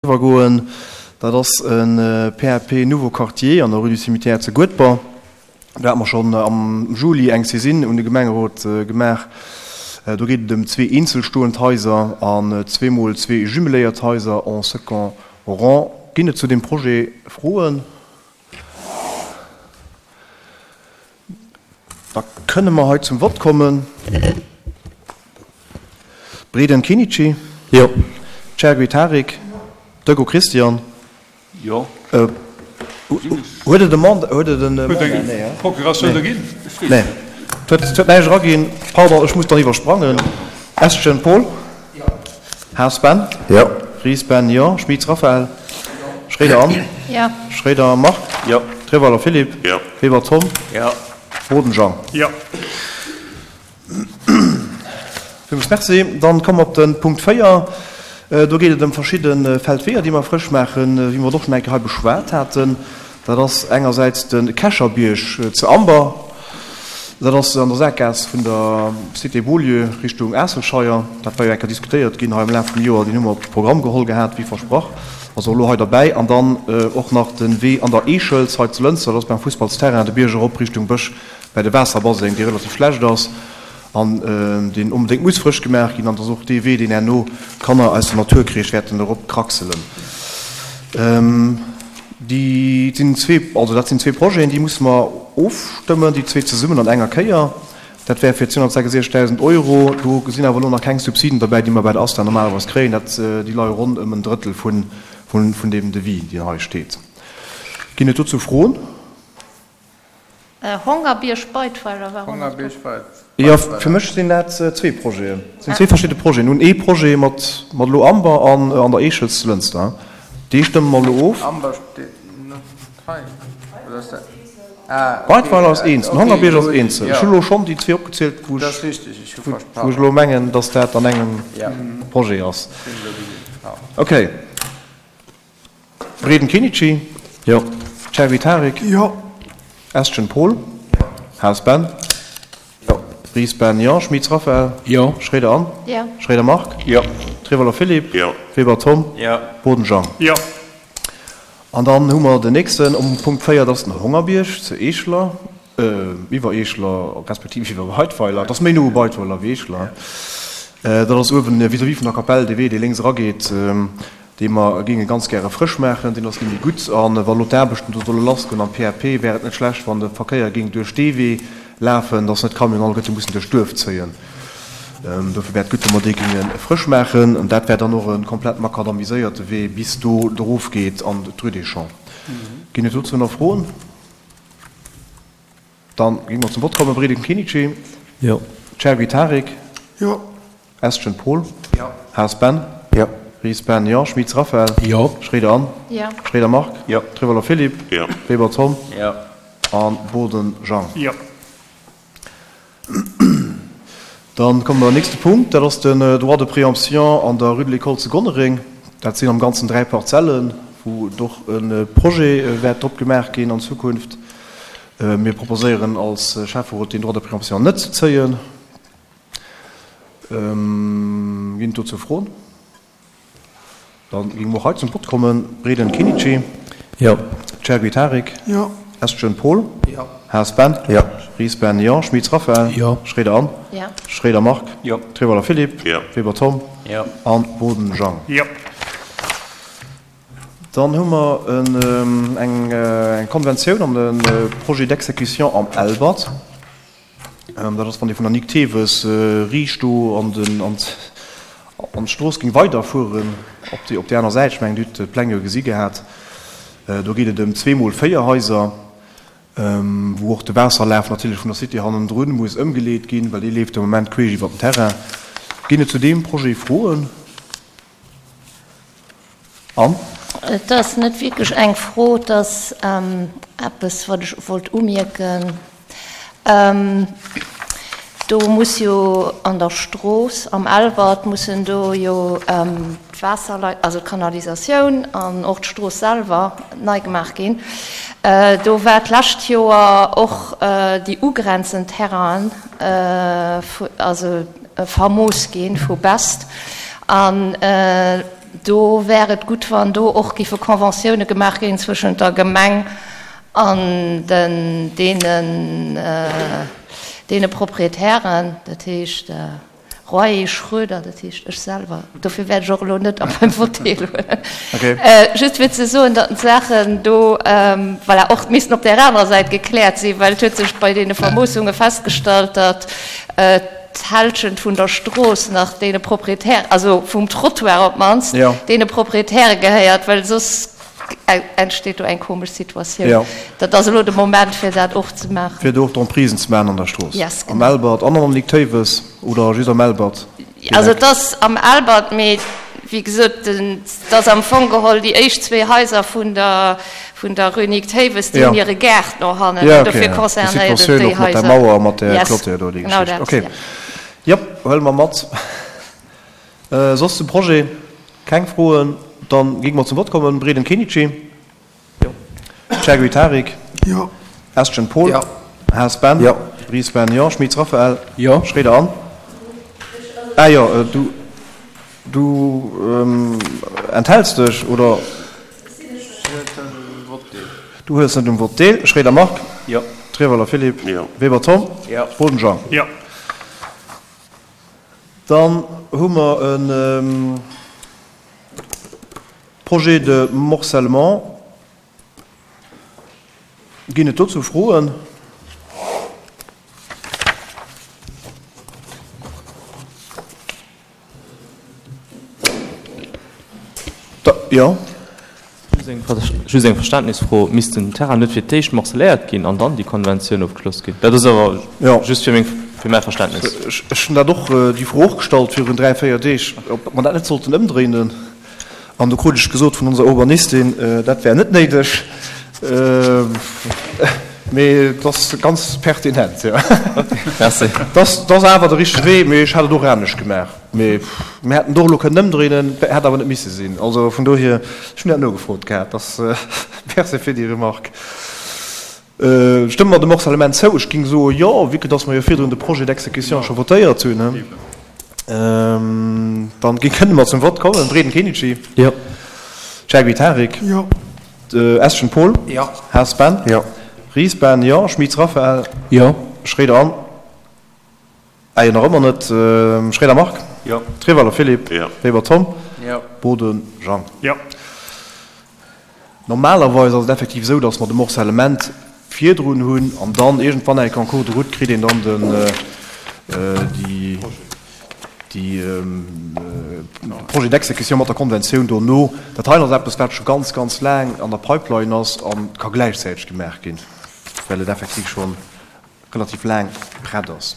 Iwwergoen. Dat ass e PAP Nouveau Quartier an der Rue du Cimetière zu Guedber. Do hate mer schonn am Juli eng Saisine un de Gemengerot gemaach. Do geet et ëm zwee eenzelstoend Haiser an zweemol zwee jumeléiert Haiser en second rang. Ginn et zu deem Projet Froen? Da kënne mer hei zum Vott kommen. Breden Kinici. Jo. Chergui Tarik. Dögo Christian. Jo. Huet et e Mandat? Huet et en Mandat? Nee, hein? Procuratioun do ginn? Nee. Et huet näischt eraginn. Pardon, ech muss dann iwwersprangen. Eschen Paul. Jo. Haas Ben. Jo. Ries Ben, jo. Schmitz Raphaël. Schréider Anne. Jo. Schréider Marc. Jo. Treweiler Philippe. Jo. Weber Tom. Jo. Boden Jean. Jo. Villmools Merci. Dann komme mer op de Punkt 4. Do geet et ëm verschidde Feldweeër, déi mer frësch maachen, wéi mer et och schonn eng Kéier hei beschwat haten. Dat ass engersäits de Kescherbierg zu Amber, dat ass an der Sakgaass vun der Cité Beaulieu Richtung Aasselscheier. Dat war jo eng Kéier diskutéiert ginn hei am Laf vum Joer. Deen hu mer op de Programm geholl gehat, wéi versprach, ass och elo hei derbäi. An dann och nach de Wee an der Eechels hei zu Lënster, dat ass beim Fussballsterrain, de Bierg erop Richtung Bësch bäi de Waasserbaseng, dee relativ schlecht ass an deen onbedéngt muss frësch gemaach ginn. An dat ass och dee Wee, deen herno d'Kanner aus dem Naturkreesch wäerten erop kraxelen. Déi sinn zwee, also dat sinn zwee Projeten, déi musse mer ofstëmmen, déi zwee zesummen an enger Kéier. Dat wär fir 266.000 Euro. Do sinn awer elo nach keng Subsiden derbäi, déi mer bei der ASTA normalerweis kréien. Dat, déi leie ronn ëm en Drëttel vun, vun deem Devis, deen hei steet. Ginn et dozou Froen? Hongerbierg Beidweiler war och nach do. Jo, fir mech sinn dat zwee Projeten. Dat sinn zwee verschidde Projeten. Mir hunn ee Projet mat mat elo Amber an an der Eechels zu Lënster. Dee stëmme mer elo of. Amber steet net hei, oder ass dat? Ah, okay. Beidweiler ass eenzel, den Hongerbierg ass eenzel. Ech hu elo schonn déi zwee opgezielt, wou Dat ech ass richteg, ech hu wou versprach. ech elo mengen, datt dat an engem Projet ass. Ech hunn elo gesinn. Okay. Breden Kenichi. Jo. Chervi Tarik. Jo. Estgen Paul. Jo. Haas Ben. Jo. Ries Ben, jo. Schmitz Raphaël. Jo. Schréider Anne. Jo. Schréider Marc. Jo. Trevoller Philippe. Jo. Weber Tom. Jo. Boden Jean. Jo. An dann hu mer den nächsten um Punkt 4, dat ass den Hongerbierg zu Eescheler, iwwer Eescheler, respektiv iwwer Beidweiler. Dat ass méi no u Beidweiler wéi Eescheler. Dat ass uewen vis-à-vis vun der Kapell, dee Wee, dee lénks erageet. dee mer géinge ganz gäre frësch maachen, deen ass nämlech gutt. A wa lo d'Aarbechten do solle lassgoen am PAP, wär et net schlecht, wann de Verkéier géing duerch dee Wee lafen, dass net d'Camionen alleguerte mussen duerch d'Duerf zéien. Dofir wär et gutt, wa mer dee géinge frësch maachen. An dat wär dann och e komplett makadamiséierte Wee bis do erof geet an d'Rue des Champs. Ginn et dozou nach Froen? Dann géinge mer zum Vott kommen. Breden Kinici. Jo. Chergui Tarik. Jo. Estgen Paul. Jo. Haas Ben. Jo. Ries Ben, jo. Schmitz Raphaël. Jo. Schréider Anne. Jo. Schréider Marc. Jo. Trevoller Philippe. Jo. Weber Tom. Jo. A Boden Jean. Jo. Dann komme mer am nächste Punkt, dat ass den Droit de préemption an der Rue de l'École zu Gonnereng. Dat sinn am Ganzen dräi Parzellen, wou et och e Projet wäert drop gemaach ginn an Zukunft. Mir proposéieren als Schäfferot, deen Droit de préemption net ze zéien. Ginn et dozou Froen? Dann géinge mer och hei zum Vott kommen. Breden Kinici. Jo. Chergui Tarik. Jo. Estgen Paul. Jo. Haas Ben. Jo. Ries Ben, jo. Schmitz Raphaël. Jo. Schréider Anne. Jo. Schréider Marc. Jo. Trevoller Philippe. Jo. Weber Tom. Jo. An Boden Jean. Jo. Dann hu mer eng Konventioun an e Projet d'exécution am Elbert. Dat ass, wann ee vun der Nic Theves riicht do an den, an d'Strooss géing weiderfueren, op déi, op déi aner Säit. Ech mengen, Dir hutt d'Pläng jo gesi gehat. Do geet et ëm zweemol 4 Haiser, wou och de Waasserlaf natierlech vun der Cité hannendrun muss ëmgeleet ginn, well dee leeft de Moment queesch iwwer den Terrain. Ginn et zu deem Projet Froen? An? Et ass net wierklech eng Fro, et ass eppes, wat ech wollt umierken. Do muss jo an der Strooss am Elwert mussen do jo d'Waasserleit, also d'Kanalisatioun an och d'Strooss selwer nei gemaach ginn. Do war d'lescht Joer och déi ugrenzend Terrainen, also vermooss gi vu Best an. Do wär et gutt, wann do och giffe Conventioune gemaach ginn zwëschent der Gemeng an den deenen, deene Proprietären, dat heescht Royer, Schroeder, dat heescht ech selwer, dofir wäert ech och elo net a meinem Vott deelhuelen, just fir ze soen, datt d'Saachen do, voilà, och missten op där anerer Säit gekläert sinn, well et huet sech bei deene Vermoossunge festgestallt, datt d'Hälschent vun der Strooss nach deene Proprietären, also vum Trottoir op d'mannst, deene Proprietäre gehéiert, well soss entsteet do eng komesch Situatioun. Jo. Dat ass elo de Moment, fir dat och ze maachen. Fir do och d'Emprisen ze maachen an der Strooss. Yes, Am genau. Elbert an am Nic Théiwes oder just am Elbert Also direkt? et ass am Elbert, mee wéi gesot, et ass am Fong geholl déi éischt zwee Haiser vun der, vun der Rue Nic Théiwes, déi Jo. hunn hire Gaart no hannen Ja, an okay, dofir ja. Déi concernéiert et Situatioun déi och mat der Haiser. Mauer a mat där Yes, Clôture do, déi genau Geschicht. dat, Okay. ja. Jop, huele mer mat. Soss zum Projet keng Froen? Dann géinge mer zum Vott kommen. Breden Kenichi? Jo. Chergui Tarik? Jo. Estgen Paul? Jo. Haas Ben? Jo. Ries Ben? Jo. Schmitz Raphael? Jo. Schroeder Anne? Ah jo, du, du enthälts dech, oder? Du huels net um Vott deel. Schroeder Marc? Jo. Treweiler Philippe? Jo. Weber Tom? Jo. Boden Jean? Jo. Dann hu mer e Projet de morcellement. Ginn et dozou Froen? Da, jo. Just eng Verständnisfro, Misst den Terrain net fir d'éischt morcelléiert ginn an dann déi Konventioun ofgeschloss ginn? Dat ass awer just fir meng, fir mäi Verständnis. Ech hunn dat och, déi Fro och gestallt virun 3, 4 Deeg, ob mer dat net sollten ëmdréinen. An do krut ech gesot vun onser Urbanistin, dat wär net néideg. Mee et ass ganz pertinent, jo. Merci. Dat ass awer de richtege Wee, mee ech hätt et och anescht gemaach. Mee mir hätten et och elo kënnen ëmdréinen, hätt awer net misse sinn. Also vun dohier, ech hunn dat nogefrot gehat. Dass, merci fir déi Remarque. Stëmme mer dem Morcellement zou? Ech géing soe jo, vue que dass mer jo virdrun de Projet d'exécution scho votéiert hunn. Dann kënne mer zum Vott kommen. Breden Kenichi? Jo. Chergui Tarik? Jo. Eschen Paul? Jo. Haas Ben? Jo. Ries Ben? Jo. Schmitz Raphael? Jo. Schroeder Anne? Ah jo, nach ëmmer net. Schroeder Marc? Jo. Treweiler Philippe? Jo. Weber Tom? Jo. Boden Jean? Jo. Normalerweis ass et effektiv esou, datt mer de Morcellement virdrun hunn an dann iergendwann eng Kéier en cours de route kritt een dann den, déi, déi Projet d'exécution mat der Konventioun dono. Dat hei ass eppes, wat scho ganz, ganz laang an der Pipeline ass a ka gläichzäiteg gemaach ginn, well et effektiv scho relativ laang prett ass.